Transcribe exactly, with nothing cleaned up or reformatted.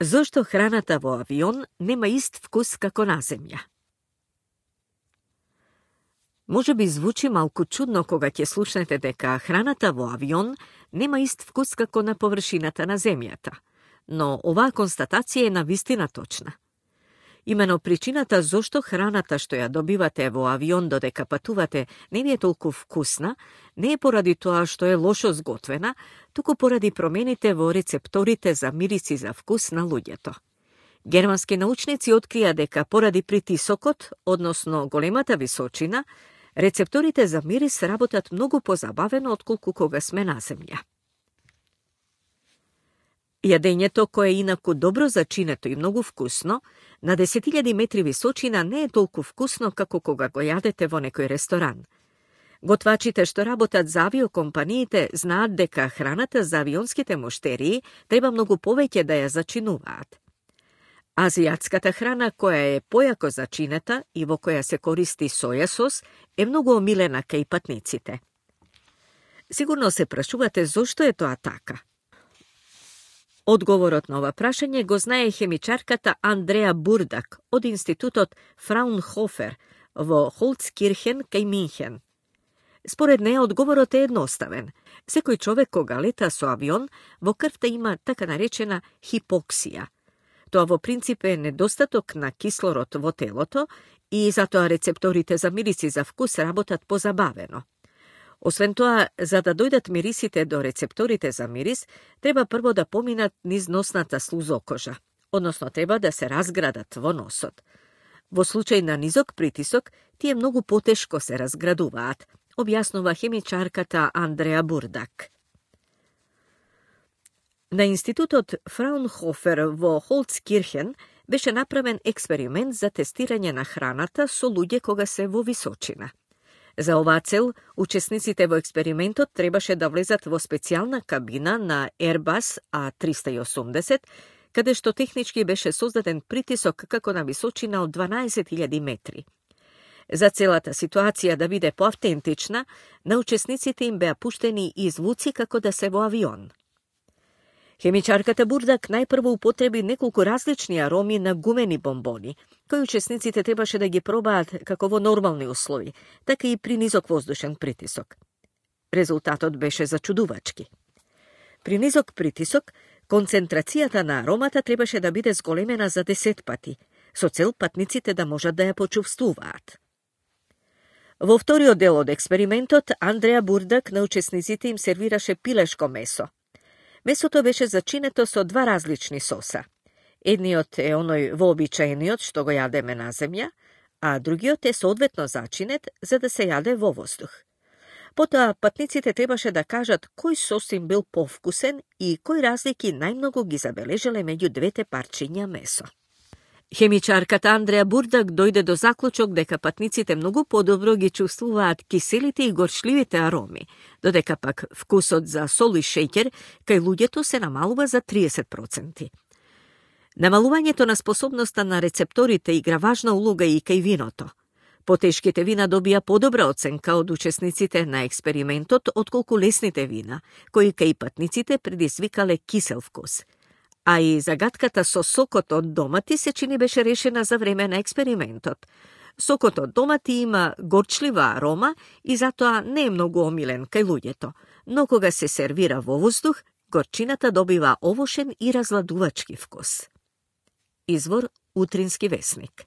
Зошто храната во авион нема ист вкус како на земја? Може би звучи малку чудно кога ќе слушнете дека храната во авион нема ист вкус како на површината на земјата, но оваа констатација е навистина точна. Имено причината зошто храната што ја добивате во авион додека патувате не ви е толку вкусна, не е поради тоа што е лошо сготвена, туку поради промените во рецепторите за мирис и за вкус на луѓето. Германски научници открија дека поради притисокот, односно големата височина, рецепторите за мирис работат многу позабавено отколку кога сме на земја. Јадењето, кое е инаку добро зачинето и многу вкусно, на десет илјади метри височина не е толку вкусно како кога го јадете во некој ресторан. Готвачите што работат за авиокомпаниите знаат дека храната за авионските муштерии треба многу повеќе да ја зачинуваат. Азијатската храна, која е појако зачинета и во која се користи соја сос, е многу омилена кај патниците. Сигурно се прашувате зошто е тоа така. Одговорот на ова прашање го знае хемичарката Андреа Бурдак од институтот Фраунхофер во Холцкирхен кај Минхен. Според неја одговорот е едноставен. Секој човек кога лета со авион, во крвта има така наречена хипоксија. Тоа во принцип е недостаток на кислород во телото и затоа рецепторите за мирис и за вкус работат позабавено. Освен тоа, за да дојдат мирисите до рецепторите за мирис, треба прво да поминат низ носната слузокожа, односно треба да се разградат во носот. Во случај на низок притисок, тие многу потешко се разградуваат, објаснува хемичарката Андреа Бурдак. На институтот Фраунхофер во Холцкирхен беше направен експеримент за тестирање на храната со луѓе кога се во височина. За оваа цел, учесниците во експериментот требаше да влезат во специјална кабина на Airbus А триста и осумдесет, каде што технички беше создаден притисок како на височина од дванаесет илјади метри. За целата ситуација да биде поавтентична, на учесниците им беа пуштени и звуци како да се во авион. Хемичарката Бурдак најпрво употреби неколку различни ароми на гумени бомбони, кои учесниците требаше да ги пробаат како во нормални услови, така и при низок воздушен притисок. Резултатот беше зачудувачки. При низок притисок, концентрацијата на аромата требаше да биде зголемена за десет пати, со цел патниците да можат да ја почувствуваат. Во вториот дел од експериментот, Андреа Бурдак на учесниците им сервираше пилешко месо. Месото беше зачинето со два различни соса. Едниот е оној вообичаениот што го јадеме на земја, а другиот е соодветно зачинет за да се јаде во воздух. Потоа патниците требаше да кажат кој сос им бил повкусен и кои разлики најмногу ги забележале меѓу двете парчиња месо. Хемичарката Андреа Бурдак дојде до заклучок дека патниците многу подобро ги чувствуваат киселите и горчливите ароми, додека пак вкусот за сол и шеќер кај луѓето се намалува за триесет проценти. Намалувањето на способноста на рецепторите игра важна улога и кај виното. Потешките вина добија подобра оценка од учесниците на експериментот отколку лесните вина, кои кај патниците предизвикале кисел вкус. А и загадката со сокот од домати се чини беше решена за време на експериментот. Сокот од домати има горчлива арома и затоа не е многу омилен кај луѓето, но кога се сервира во воздух, горчината добива овошен и разладувачки вкус. Извор Утрински весник.